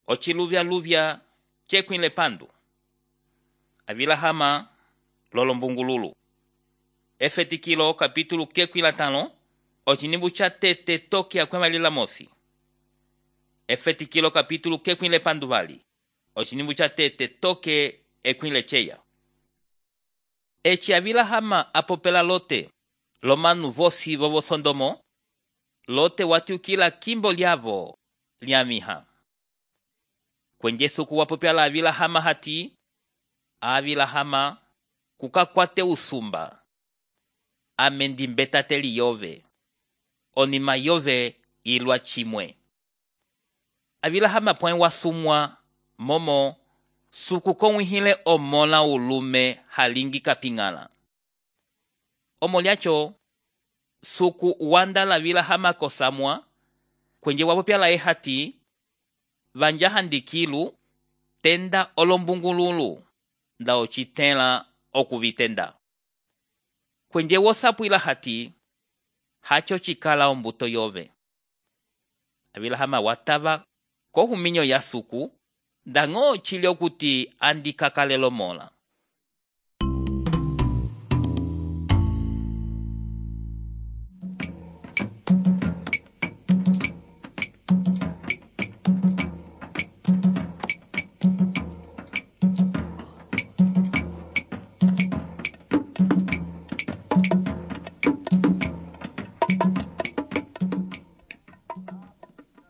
ociluvya-luvya cekwile pandu. Avilahama lolombungululu. Efetikilo kapítulo kekwila 5 ocinimbu ca tete toke akwemalila mosi. Efetikilo kapítulo kekwile pandu vali ocinimbu ca tete toke ekwile ceya. Eci avilahama apopela Lote lomanu vosi vovo Sodomo. Lote watiukila kimbo liavo liamiha. Kwenjesuku wapopela avilahama hati avilahama kukakwate usumba amendi mbetateli yove onima yove ilwa chimwe. Avilahama pwen wasumwa momo suku kongwihile omola ulume halingi kapingala. Omoliacho suku wanda la avilahama kosamwa kwenje wapopela hati vanjahandikilu tenda olombungululu nda ocitela okuvitenda. Kwenje wosapuila hati hacho chikala ombuto yove. Avilahama watava kohuminyo ya suku dango chili okuti andikakalelo mola.